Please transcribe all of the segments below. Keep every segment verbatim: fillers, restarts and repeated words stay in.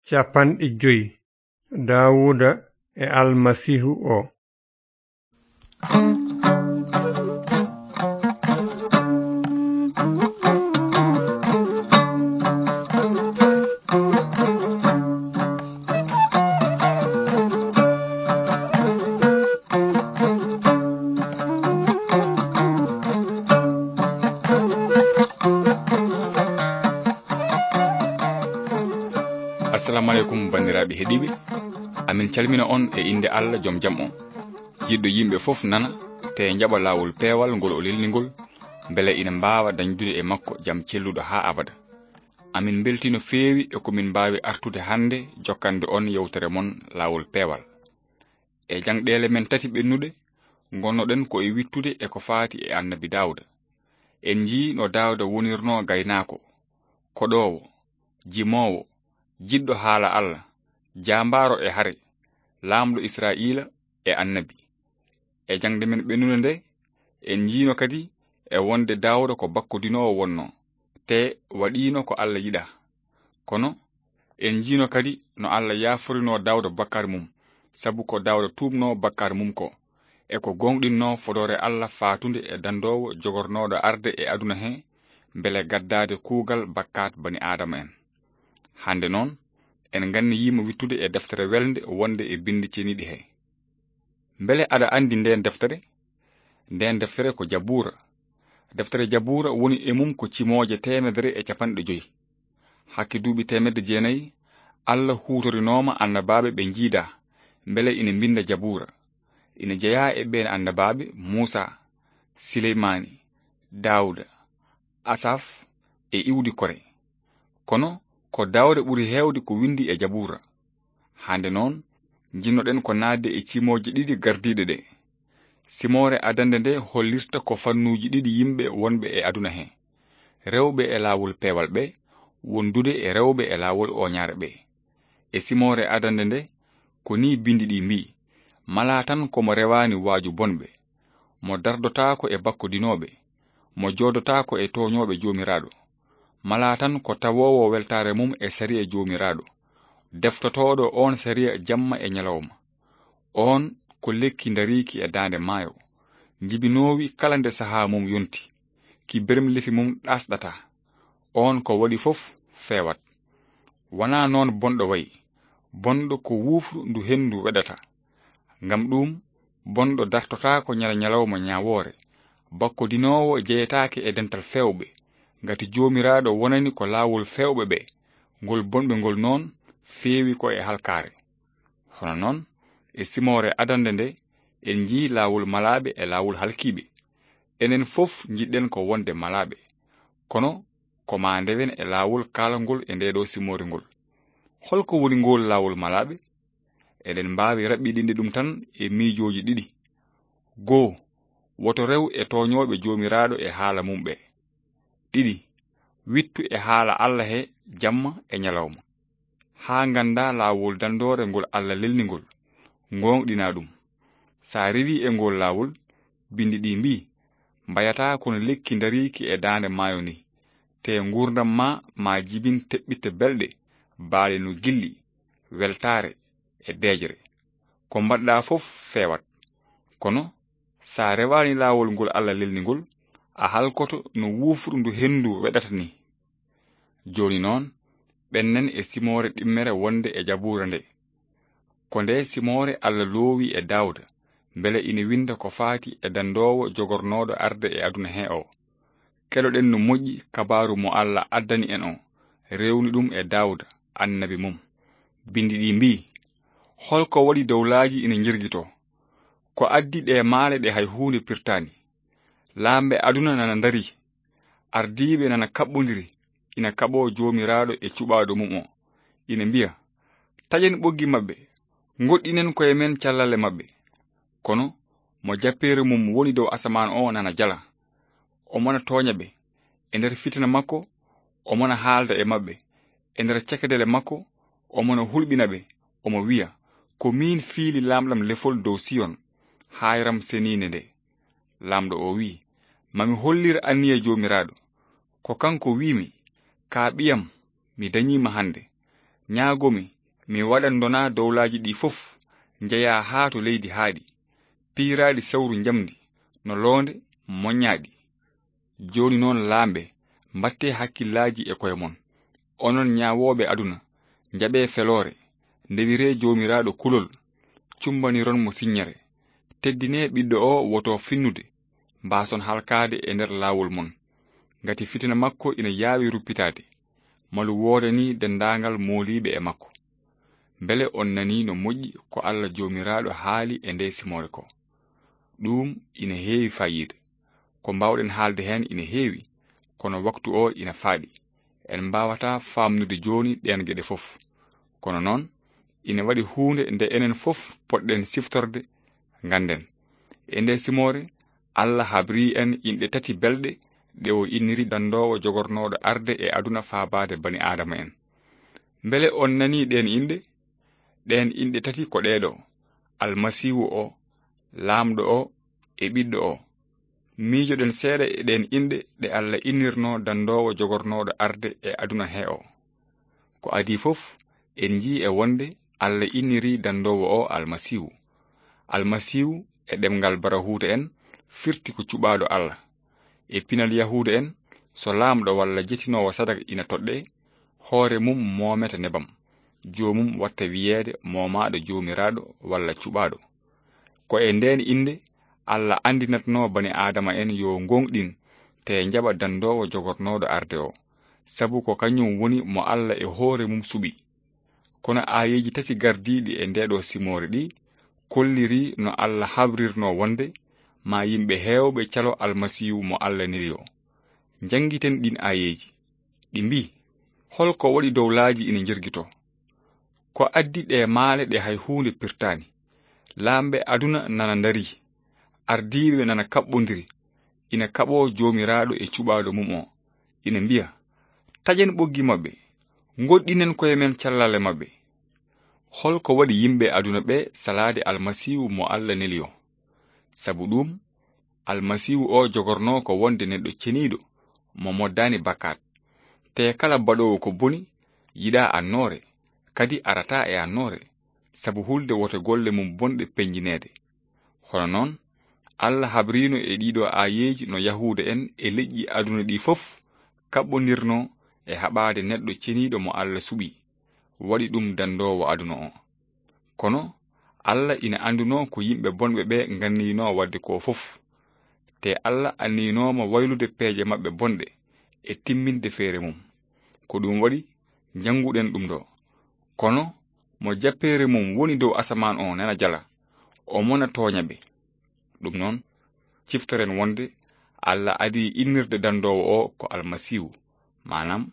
Capanɗe joy. Daawuda e Almasiihu o. Assalamu aleykum, banndiraaɓe heɗiiɓe. Amin calmina on e innde Allah, jom jam on. Jiɗɗo yimɓe fof nana, te njaɓa laawol peewal ngol o lelni ngol, mbele ina mbaawa dañdude e makko jam celluɗo haa abada. Amin mbeltii no feewi e ko min mbaawi artude hannde jokkande on yewtere mon laawol peewal. E jangɗeele men tati ɓennuɗe, ngonnoɗen ko e wittude e ko faati e Annabi Daawda. En njii no Daawda wonirnoo gaynaako, koɗoowo, jimoowo, jiɗɗo haala Allah, jaambaaro e hare, laamɗo Israa'iila e annabi. E jaŋde men ɓennude nde, en njiino kadi e wonde Daawda ko bakkodinoowo wonnoo, te waɗiino ko Allah yiɗaa. Kono, en njiino kadi no Allah yaaforinoo Daawda bakkaar mum, sabu ko Daawda tuubnoo bakkaar mum ko, e ko gooŋɗinnoo fodoore Allah faatunde e dandoowo jogornooɗo arde e aduna he, mbele gaddaade kuugal bakkaat bani Aadama en. Hannde noon, en nganniyiima wittude e deftere welnde wonde e binndi ceniiɗi he. Mbele aɗa anndi ndeen deftere? Ndeen deftere ko Jabuura. Deftere Jabuura woni e mum ko cimooje teemedere e capanɗe joy. Hakke duuɓi teemedde jeenayi, Allah huutorinooma annabaaɓe ɓe njiidaa, mbele ina mbinnda Jabuura. Ina jeyaa e ɓeen annabaaɓe Muusaa, Sileymaani, Daawda, Asaf e iwdi Kore. Kono ko Daawda ɓuri heewde ko winndi e Jabuura. Hannde noon, njiɗnoɗen ko naatde e cimooje ɗiɗi gardiiɗe ɗe. Simoore adannde nde hollirta ko fannuuji ɗiɗi yimɓe wonɓe e aduna he, rewɓe e laawol peewal ɓe, wondude e rewɓe e laawol ooñaare ɓe. E simoore adannde nde, ko nii binndi ɗi mbii, "Malaa tan ko mo rewaani waaju bonɓe, mo dardotaako e bakkodinooɓe, mo joodotaako e tooñooɓe Joomiraaɗo. Malaa tan ko tawoowo weltaare mum e sariya Joomiraaɗo, deftotooɗo oon sariya jamma e ñalawma. Oon ko lekki ndariiki e daande maayo, njibinoowi kala nde sahaa mum yonti, ki bermlefi mum ɗaasɗataa. Oon ko waɗi fof feewat." Wanaa noon bonɗo wayi. Bonɗo ko wuufru ndu henndu weɗata. Ngam ɗuum, bonɗo dartotaako ñala ñalawma ñaawoore. Bakkodinoowo jeyetaake e dental feewɓe, ngati Joomiraaɗo wonani ko laawol feewɓe ɓe, ngol bonɓe ngol noon feewi ko e halkaare. Hono noon, e simoore adannde nde, en njii laawol malaaɓe e laawol halkiiɓe. Enen fof njiɗɗen ko wonde malaaɓe. Kono ko maa ndewen e laawol kaalangol e ndee ɗoo simoore ngol. Holko woni ngool laawol malaaɓe? Eɗen mbaawi raɓɓiɗinde ɗum tan e miijooji ɗiɗi. Goo, woto rew e tooñooɓe Joomiraaɗo e haala mum ɓe. Ɗiɗi, wittu e haala Allah he jamma e ñalawma, haa nganndaa laawol danndoore ngol Allah lelni ngol, ngooŋɗinaa ɗum. So a rewii e ngool laawol, binndi ɗi mbii, mbayataa kono lekki ndariiki e daande maayo ni, te nguurndam maa maa jibin teɓɓitte belɗe, baaɗe no gilɗi, weltaare e deeƴre. Ko mbaɗɗaa fof feewat. Kono so a rewaani laawol ngol Allah lelni ngol, a halkoto no wuufru ndu henndu weɗata ni. Jooni noon, ɓennen e simoore ɗimmere wonde e Jabuura nde. Ko nde simoore Allah loowi e Daawda, mbele ina winnda ko faati e danndoowo jogornooɗo arde e aduna he o. Keɗoɗen no moƴƴi kabaaru mo Allah addani en o, rewni ɗum e Daawda, annabi mum. Binndi ɗi mbii, "Holko waɗi dowlaaji ina njirgitoo? Ko addi ɗe maale ɗe hay huunde pirtaani? Laamɓe aduna nana ndarii, ardiiɓe nana kaɓɓondiri, ina kaɓoo Joomiraaɗo e cuɓaaɗo mum o, ina mbiya, 'Taƴen ɓoggi maɓɓe, ngoɗɗinen koye men callale maɓɓe.' Kono mo jappeere mum woni dow asamaan o nana jala. Omo na tooña ɓe. E nder fitina makko, omo na haalda e maɓɓe. E nder cekadele makko, omo na hulɓina ɓe. Omo wiya, 'Ko miin fiili laamɗam lefol dow Siyon, haayram seniinde nde.'" Laamɗo o wiyi, "Ma mi hollir anniya Joomiraaɗo. Ko kanko wiimi, 'Ka ɓiyam, mi dañii ma hannde. Ñaago mi, Mi waɗan ndona dowlaaji ɗi fof njeya haa to leydi haaɗi, piiraaɗi sawru njamndi, no loonde moƴƴaaɗi. Jooni noon laamɓe, mbaɗtee hakkillaaji e koye mon. Onon ñaawooɓe aduna, njaɓee feloore, ndewiree Joomiraaɗo kulol, cumbaniron mo siññere. Teddinee ɓiɗɗo o woto finnude, mbaason halkaade e nder laawol mon. Ngati fitina makko ina yaawi ruppitaade, malu woodani denndaangal mooliiɓe e makko. Mbele on nanii no moƴƴi ko Alla Joomiraaɗo haali e nde simoore ko? Ɗuum ina heewi faayiida. Ko mbaawɗen haalde heen ina heewi, kono waktu o ina faaɗi. En mbaawataa faamnude jooni ɗeen geɗe fof. Kono noon, ina waɗi huunde nde enen fof potɗen siftorde, ngannden. E nde simoore, Alla habrii en inɗe tati belɗe ɗe o inniri danndoowo jogornooɗo arde e aduna faabaade bani Aadama en. Mbele on nanii ɗeen inɗe? Ɗeen inɗe tati ko ɗee ɗo: Almasiihu o, Laamɗo o, e Ɓiɗɗo o. Miijoɗen seeɗa e ɗeen inɗe ɗe Alla innirnoo danndoowo jogornooɗo arde e aduna he o. Ko adii fof, en njii e wonde Alla inniri danndoowo o Almasiihu. Almasiihu e ɗemngal Barahuuta en firti ko cuɓaaɗo Alla. E pinal Yahuuda en, so laamɗo walla jettinoowo sadaka ina toɗɗee, hoore mum moomete nebam, joomum watta wiyeede moomaaɗo Joomiraaɗo walla cuɓaaɗo. Ko e ndeen innde Alla anndinatnoo bani Aadama en yo ngooŋɗin te njaɓa danndoowo jogornooɗo arde o, sabu ko kañum woni mo Alla e hoore mum suɓi. Kono aayeeji tati gardiiɗi e ndeeɗo simoore ɗi kolliri no Alla habrirnoo wonde ma yimɓe heewɓe calo Almasiihu mo Alla neli o. Njanngiten ɗiin aayeeji. Ɗi mbii: Hol ko waɗi dowlaaji ina njergitoo? Ko addi ɗe maale ɗe hay huunde pirtaani? Laamɓe aduna nana ndarii, ardiiɓe nana kaɓɓondiri, ina kaɓoo Joomiraaɗo e cuɓaaɗo mum o, ina mbiya: Taƴen ɓoggi maɓɓe, ngoɗɗinen koye men callale maɓɓe. Hol ko waɗi yimɓe aduna ɓe salaade Almasiihu mo Alla neli o? Sabu ɗuum, Almasiihu o jogornoo ko wonde neɗɗo ceniiɗo, mo moddaani bakkaat. Te kala baɗoowo ko boni, yiɗaa annoore, kadi arataa e annoore, sabu hulde woto golle mum bonɗe peñjineede. Hono noon, Alla habriino e ɗiiɗo aayeeji no Yahuuda en e leƴƴi aduna ɗi fof kaɓɓondirnoo e haɓaade neɗɗo ceniiɗo mo Alla suɓi, waɗi ɗum danndoowo aduna o. Kono Alla ina anndunoo ko yimɓe bonɓe ɓe nganniinoo waɗde ko fof. Te Alla anniynooma waylude peeje maɓɓe bonɗe e timminde feere mum. Ko ɗum waɗi, njannguɗen ɗum ɗo. Kono mo jappeere mum woni dow asamaan o nana jala, o mona tooña ɓe. Ɗum noon, ciftoren wonde Alla adii innirde danndoowo o ko Almasiihu, maanaam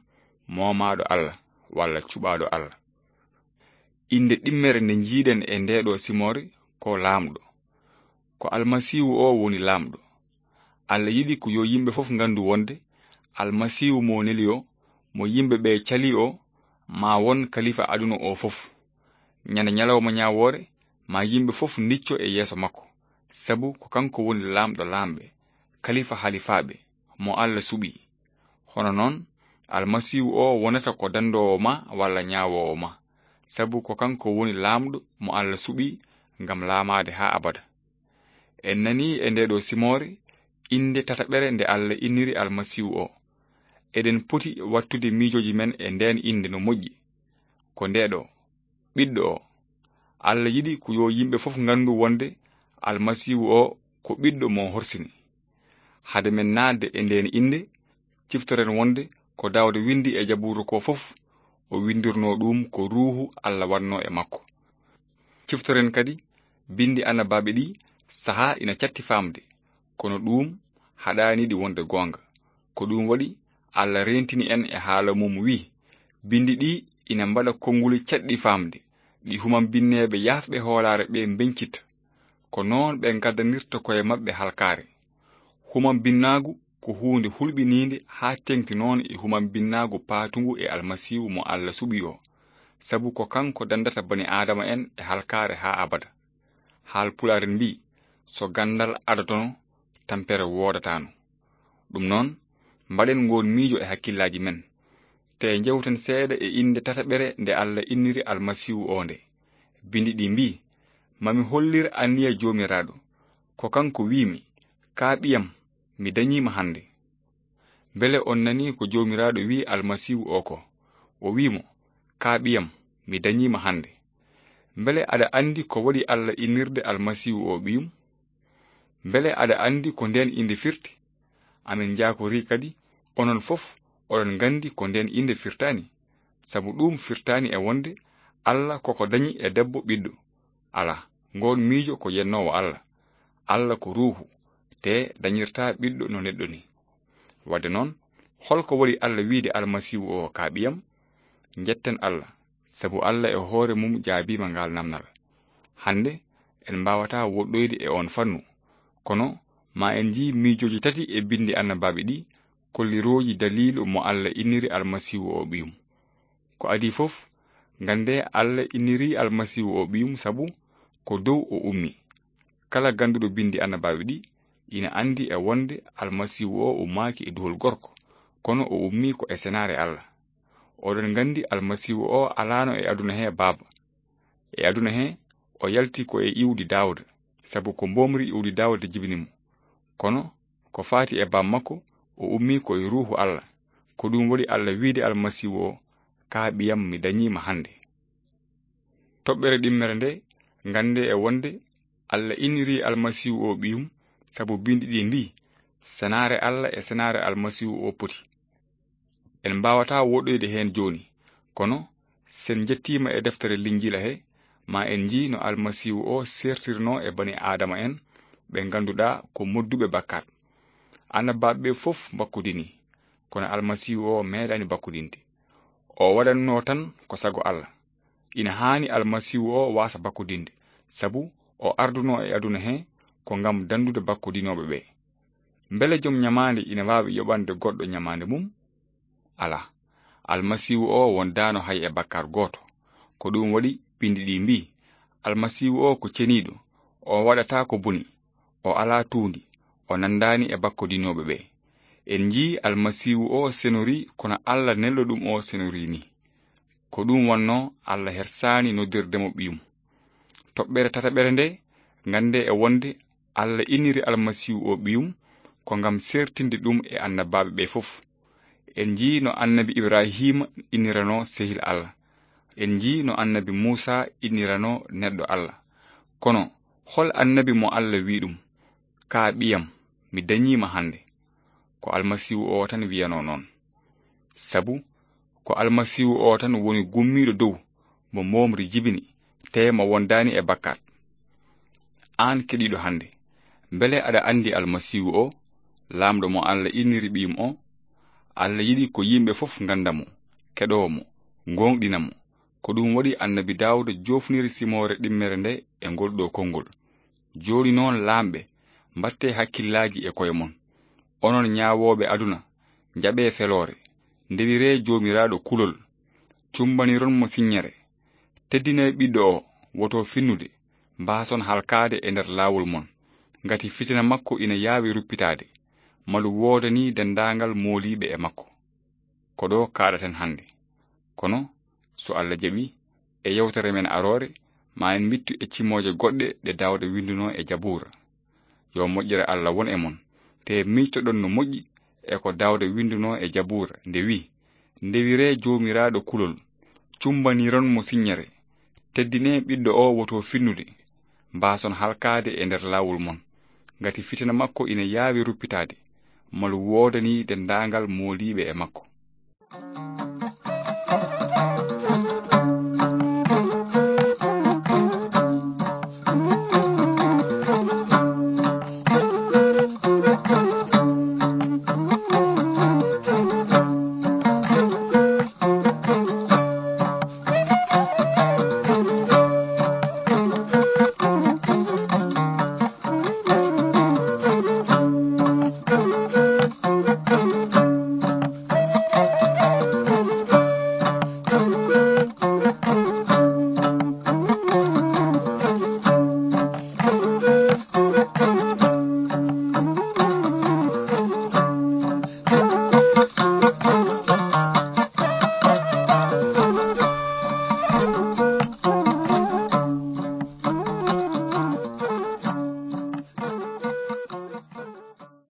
moomaaɗo Alla walla cuɓaaɗo Alla. Innde ɗimmere nde njiiɗen e ndeeɗo simoore ko Laamɗo. Ko Almasiihu o woni Laamɗo. Alla yiɗi ko yo yimɓe fof nganndu wonde Almasiihu mo neli o, mo yimɓe ɓe calii o, ma won kalifa aduna o fof. Ñande ñalawma ñaawoore, ma yimɓe fof ndicco e yeeso makko, sabu ko kanko woni Laamɗo laamɓe, kalifa halifaaɓe, mo Alla suɓi. Hono noon, Almasiihu o wonata ko danndoowo ma walla ñaawoowo ma, sabu ko kanko woni Laamɗo mo Alla suɓi ngam laamaade haa abada. En nanii e ndeeɗo simoore innde tataɓere nde Alla inniri Almasiihu o. Eɗen poti wattude miijooji men e ndeen innde no moƴƴi. Ko ndeeɗo: Ɓiɗɗo o. Alla yiɗi ko yo yimɓe fof nganndu wonde Almasiihu o ko Ɓiɗɗo mo horsini. Hade men naatde e ndeen innde, ciftoren wonde ko Daawda winndi e Jabuura ko fof, o winndirnoo ɗum ko Ruuhu Alla waɗnoo e makko. Ciftoren kadi binndi annabaaɓe ɗi sahaa ina catti faamde, kono ɗum haɗaani ɗi wonde goonga. Ko ɗum waɗi Alla reentini en e haala mum, wi'i: Binndi ɗi ina mbaɗa konnguli caɗɗi faamde, ɗi humambinneeɓe yaafɓe hoolaare ɓe mbeñcitta. Ko noon ɓe ngaddanirta koye maɓɓe halkaare. Humambinnaagu ko huunde hulɓiniinde haa teeŋti noon e humambinnaagu paatungu e Almasiihu mo Alla suɓi o, sabu ko kanko danndata bani Aadama en e halkaare haa abada. Haal Pulaar en mbii: So ganndal adatono, tampere woodataano. Ɗum noon, mbaɗen ngoon miijo e hakkillaaji men. Te njewten seeɗa e innde tataɓere nde Allah inniri Almasiihu oo nde. Binndi ɗi mbii, "Ma mi hollir anniya Joomiraaɗo, ko kanko wiimi, 'Kaa ɓiyam, mi dañii ma hannde.'" Mbele on nanii ko Joomiraaɗo wi'i Almasiihu oo ko? O wi'i mo, "Kaa ɓiyam, mi dañii ma hannde." Mbele aɗa anndi ko waɗi Allah innirde Almasiihu oo ɓiyum? Mbele aɗa anndi ko ndeen innde firti? Amin njaakorii kadi, onon fof oɗon nganndi ko ndeen innde firtaani. Sabu ɗuum firtaani e wonde Allah koko dañi e debbo ɓiɗɗo. Alaa, ngoon miijo ko yennoowo Allah. Allah ko ruuhu, te dañirtaa ɓiɗɗo no neɗɗo ni. Wadde noon, holko waɗi Allah wiide Almasiihu oo, "Kaa ɓiyam"? Njetten Allah, sabu Allah e hoore mum jaabiima ngaal namdal. Hannde, en mbaawataa woɗɗoyde e oon fannu, kono ma en njii miijooji tati e binndi annabaaɓe ɗi, kollirooji daliilu mo Allah inniri Almasiihu oo ɓiyum. Ko adii fof, nganndee Allah inniri Almasiihu oo ɓiyum sabu ko dow o ummi. Kala gannduɗo binndi annabaaɓe ɗi, ina anndi e wonde Almasiihu oo ummaaki e duhol gorko, kono o ummii ko e senaare Allah. Oɗon nganndi Almasiihu oo alaano e aduna hee baaba. E aduna hee, o yalti ko e iwdi Daawda, sabu ko mboomri iwdi Daawda jibini mo. Kono ko faati e baaba makko, o ummii ko e ruuhu Allah. Ko ɗum waɗi Allah wiide Almasiihu oo, "Kaa ɓiyam, mi dañii ma hannde." Toɓɓere ɗimmere nde, nganndee e wonde Allah inniri Almasiihu oo ɓiyum, sabu binndi ɗi mbii, "Senaare Allah e senaare Almasiihu oo poti." En mbaawataa woɗɗoyde heen jooni, kono sen njettiima e deftere Linjiila he, ma en njii no Almasiihu oo seertirnoo e bani Aadama en, ɓe ngannduɗaa ko modduɓe bakkaat. Annabaaɓe ɓe fof mbakkudinii, kono Almasiihu oo meeɗaani bakkudinde. O waɗannoo tan ko sago Allah. Ina haani Almasiihu oo waasa bakkudinde, sabu o ardunoo e aduna hee ko ngam danndude bakkodinooɓe ɓe. Mbele jom ñamaande ina waawi yoɓande goɗɗo ñamaande mum? Alaa. Almasiihu oo wondaano hay e bakkaat gooto. Ko ɗum waɗi binndi ɗi mbii, "Almasiihu oo ko ceniiɗo, o waɗataa ko boni, o alaa tuundi, o nanndaani e bakkodinooɓe ɓe." En njii Almasiihu oo senorii kono Allah nelɗo ɗum oo senorii nii. Ko ɗum wonnoo Allah hersaani noddirde mo ɓiyum. Toɓɓere tataɓere nde, nganndee e wonde Allah inniri Almasiihu oo ɓiyum ko ngam seertinde ɗum e annabaaɓe ɓe fof. En njii no annabi Ibrahiima inniranoo sehil Allah. En njii no annabi Muusaa inniranoo neɗɗo Allah. Kono hol annabi mo Allah wii ɗum, "Kaa ɓiyam, mi dañii ma hannde"? Ko Almasiihu oo tan wiyanoo noon. Sabu ko Almasiihu oo tan woni gummiiɗo dow mo mboomri jibini, te mo wondaani e bakkaat. Aan keɗiiɗo hannde, mbele aɗa anndi Almasiihu oo, Laamɗo mo Allah inniri ɓiyum oo? Allah yiɗi ko yimɓe fof ngannda mo, keɗoo mo, ngooŋɗina mo. Ko ɗum waɗi annabi Daawuda joofniri simoore ɗimmere nde e ngol ɗoo konngol: "Jooni noon, laamɓe, mbaɗtee hakkillaaji e koye mon. Onon ñaawooɓe aduna, njaɓee feloore, ndewiree Joomiraaɗo kulol, cumbaniron mo siññere. Teddinee ɓiɗɗo oo, woto finnude, mbaason halkaade e nder laawol mon, ngati fitina makko ina yaawi ruppitaade, malu woodanii denndaangal mooliiɓe e makko." Ko ɗo kaaɗaten hannde. Kono, so Allah jaɓii, e yewtere men aroore, ma en mittu e cimooje goɗɗe ɗe Daawda winndunoo e Jabuura. Yo moƴƴere Allah won e mon. Te miijtoɗon no moƴƴi e ko Daawda winndunoo e Jabuura, nde wi'i: "Ndewiree Joomiraaɗo kulol, cumbaniron mo siññere. Teddinee ɓiɗɗo oo, woto finnude, mbaason halkaade e nder laawol mon, ngati fitina makko ina yaawi ruppitaade, malu woodanii denndaangal mooliiɓe e makko."